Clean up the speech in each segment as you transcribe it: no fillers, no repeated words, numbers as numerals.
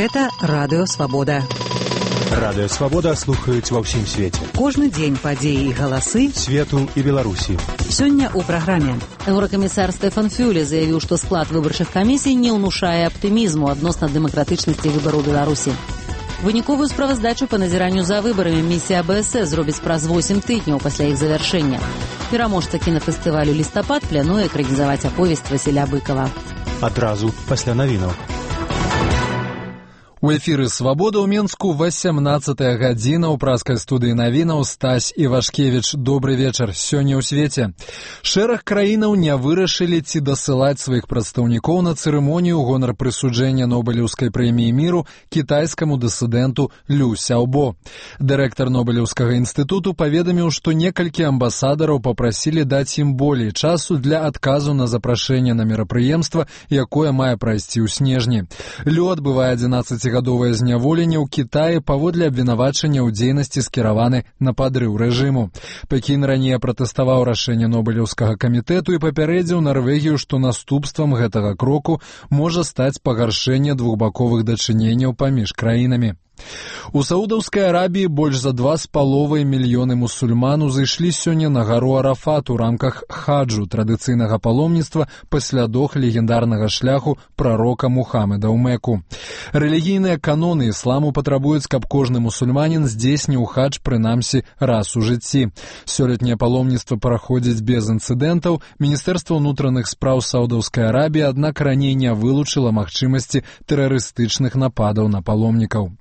Гэта Радыё Свабода. Радыё Свабода слухаюць ва ўсім свеце. Кожны дзень падзеі і галасы свету і Беларусі. Сёння ў праграме. Еўракамісар Стэфан Фюле заявіў, што склад выбарчых камісій не ўнушае аптымізму адносна дэмакратычнасці выбараў Беларусі. Выніковую справаздачу па назіранню за выбарамі місія АБС зробіць праз 8 тыдняў пасля іх завяршэння. Пераможца кінафестывалю «Лістапад» плануе экранізаваць аповесць Васіля Быкова. Адразу пасля навінаў. У эфіры «Свабода» ў Менску 18-я гадзіна. У праскай студыі навінаў Стась Івашкевіч. Добры вечар. Сёння ў свеце. Шэраг краінаў не вырашылі ці дасылаць сваіх прадстаўнікоў на цырымонію ў гонар прысуджэння Нобелеўскай прэміі міру кітайскаму дысідэнту Лю Сяобо. Дырэктар Нобелеўскага інстытуту паведаміў, што некалькі амбасадараў папрасілі даць ім болей часу для адказу на запрашэнне на мерапрыемства, якое мае прайсці ў снежні. Лю адбывае 11-гадовае зняволенне ў Кітаі паводле абвінавачання ў дзейнасці скіраваны на падрыў рэжыму. Пекін раней пратэставаў рашэнне Нобелеўскага камітэту і папярэдзіў Нарвегію, што наступствам гэтага кроку можа стаць пагаршэнне двухбаковых дачыненняў паміж краінамі. У Саудаўскай Арабіі больш за 2,5 мільёны мусульман узышлі сёння на гару Арафат у рамках хаджу, традыцыйнага паломніцтва па слядах легендарнага шляху прарока Мухаммеда ў Мекку. Рэлігійныя каноны ісламу патрабуюць, каб кожны мусульманін здзейсніў хадж прынамсі раз у жыцці. Сёлетняе паломніцтва праходзіць без інцыдэнтаў. Міністэрства ўнутраных спраў Саудаўскай Арабіі, аднак раней не вылучыла магчымасці тэрарыстычных нападаў на паломнікаў.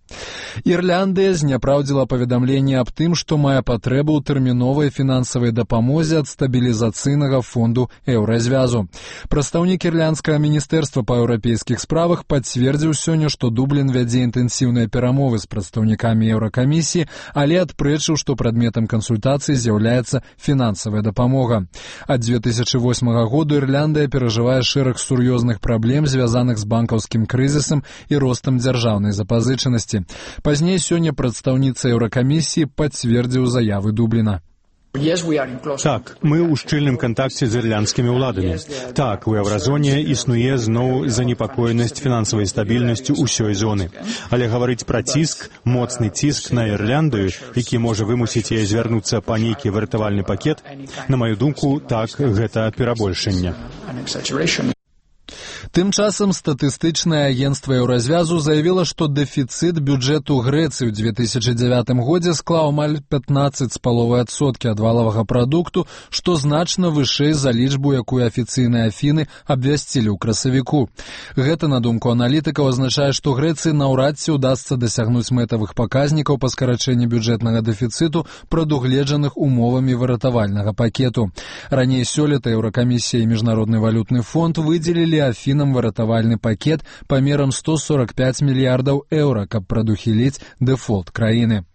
Ірландыя зняпраўдзіла паведамленне аб тым, што мае патрэбу ў тэрміновай фінансавай дапамозе ад стабілізацыйнага фонду еўразвязу. Прадстаўнік ірландскага міністэрства па еўрапейскіх справах пацвердзіў сёння, што Дублін вядзе інтэнсіўныя перамовы з прадстаўнікамі еўракамісіі, але адпрэчыў, што прадметам кансультацый з'яўляецца фінансавая дапамога. Ад 2008 году Ірландыя перажывае шэраг сур'ёзных праблем, звязаных з банкаўскім крызісам і ростам дзяржаўнай запазычанасці. Пазней сёння прадстаўніца Еўракамісіі пацвердзіў заявы Дубліна. Так, мы ў шчыльным кантакце з ірландскімі ўладамі. Так, у еўразоне існуе зноў занепакоенасць фінансавай стабільнасцю ўсёй зоны. Але гаварыць пра ціск, моцны ціск на Ірландыю, які можа вымусіць яе звярнуцца па нейкі выратавальны пакет, на маю думку, так, гэта перабольшанне. Тым часам статыстычнае агенцтва еўразвязу заявіла, што дэфіцыт бюджэту Грэцыі ў 2009 годзе склаў амаль 15,5% ад валавага прадукту, што значна вышэй за лічбу, якую афіцыйныя Афіны абвясцілі ў красавіку. Гэта, на думку аналітыкаў, азначае, што Грэцыі наўрад ці ўдасца дасягнуць мэтавых паказнікаў па скарачэнні бюджэтнага дэфіцыту, прадугледжаных умовамі выратавальнага пакету. Раней сёлета Еўракамісія і Міжнародны валютны фонд выдзелілі Афінам выратавальны пакет памерам 145 мільярдаў еўра, каб прадухіліць дэфолт краіны.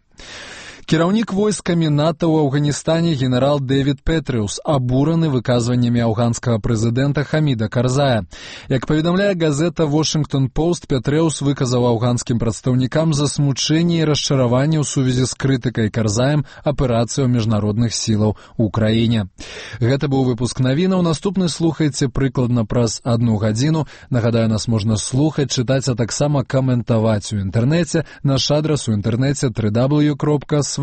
Кіраўнік войскамі НАТО ў Афганістане генерал Дэвід Петрыус абураны выказваннямі афганскага прэзідэнта Хаміда Карзая. Як паведамляе газета «Вашингтон Пост», Петрыус выказаў афганскім прадстаўнікам засмучэнне і расчараванне ў сувязі з крытыкай Карзаем аперацыяў міжнародных сілаў у краіне. Гэта быў выпуск навінаў. Наступны слухайце прыкладна праз 1 гадзіну. Нагадаю, нас можна слухаць, чытаць, а таксама каментаваць у інтэрнэце. Наш адрас у інтэрнэце www.swaboda.org.